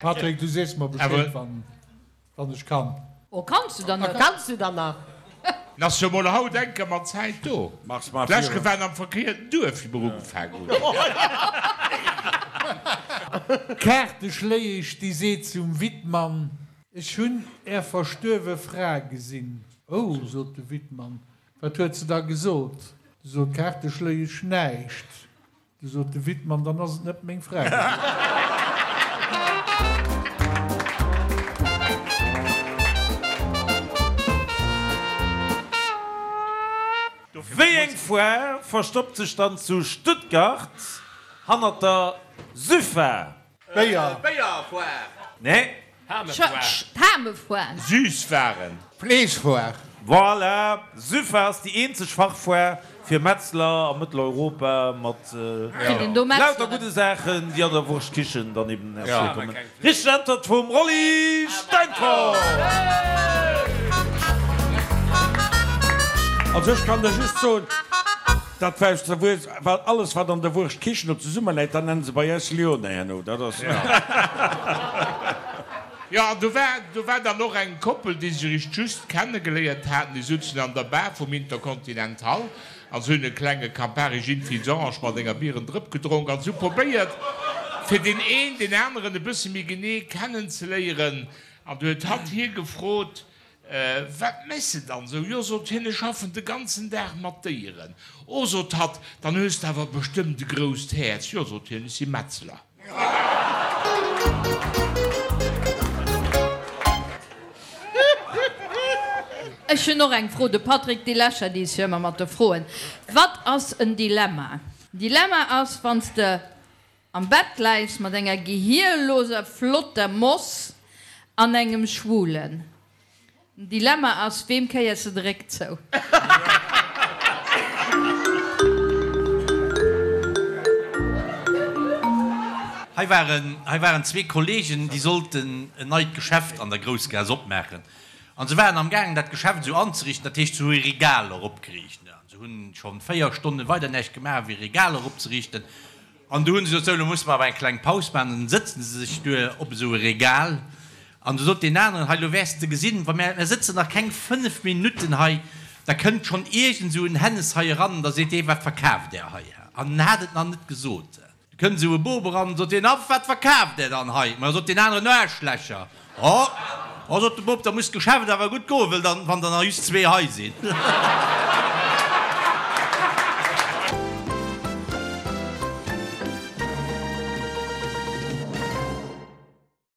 Patrick, du sees mer Bescheed wann ech kann. Oh, kanns du dann nach? Kanns du dann nach? N'ass jo mol haut enker mat Zäit do. D'lescht Ke waren am verkéierten Duerf, wéi mer ugefaang hunn. D'Kaarteschléiesch, déi seet zum Wittmann, Ech hunn Är verstuerwe Fra gesinn. Oh, sot de Wittmann, wat huet se da gesot? Du sot d'Kaarteschléiesch, Näischt. Du sot de Wittmann, dann ass et net meng Fra gewiescht. Wéi eng Foire verstoppt sech dann zu Stuttgart hannert der Süffa? Béier. Béierfoire. Nee. Hamefoire. Süßwaren. Fleeschfoire. Voilà, Süffa ass déi eenzeg Fachfoire fir Metzler a Mëtteleuropa mat lauter gudde Saachen, déi an der Wurstkichen dann eben ervirkommen. Richteg Äntwert vum Rolly Steinfort! Also ech kann der just soen, dat war aus der Wurscht, well alles wat an der Wurschtkichen do zesummeläit, dat nennen se bei eis Lyonnais herno, dat ass. Jo, an do war, do war dann och eng Koppel, déi sech eréischt just kennegeléiert haten. Déi souzen an der Bar vum Intercontinental a se hunn e klenge Campari Gin Fizz Orange mat enger Bierendrëpp gedronk an se hu probéiert, fir deen een deen aneren e bësse méi genee kennenzeléieren. An du huet hatt hie gefrot, Wat méchs de dann esou? Jo, sot hien, ech schaffen de ganzen Dag mat Déieren. Oh, sot hatt, dann hues de awer bestëmmt e grousst Häerz. Jo, sot hien, ech si Metzler. Ech hunn och eng Fro. De Patrick, dee lächert iis jo ëmmer mat de Froen. Wat ass en Dilemma? Dilemma ass, wann s de am Bett läis mat enger gehierloser flotter Moss an engem Schwulen. Den Dilemma ass, Weem kéiers de de Réck zou? Hei waren, hei waren zwee Kollegen, déi sollten en neit Geschäft an der Groussgaass opmaachen. An se waren am gaangen, dat Geschäft esou anzeriichten, dat heescht, se hu Regaler opgeriicht. An se hunn schonn 4 Stonne weider näischt gemaach, wéi Regaler opzeriichten. An du hunn se gesot, sou, elo musse mer awer eng kleng Paus maachen. An dann sëtzen se sech duer op esou e Regal. An du sot deen aneren, hei, elo wäers de gesinn, wa mär, mär sëtzen nach keng 5 Minutten hei, da kënnt schonn iergend esou en Hännes hei eran an da seet dee, wat verkaaft Där hei? An en hat et nach net gesot. Du kënnt esou e Bop eran, sot deen, a wat verkaaft Där dann hei? Ma sot deen aneren, Aarschlächer. Oh, oh, sot de Bop, da muss d'Geschäft awer gutt goen, wëll dann, wann der nach just zwee hei sinn.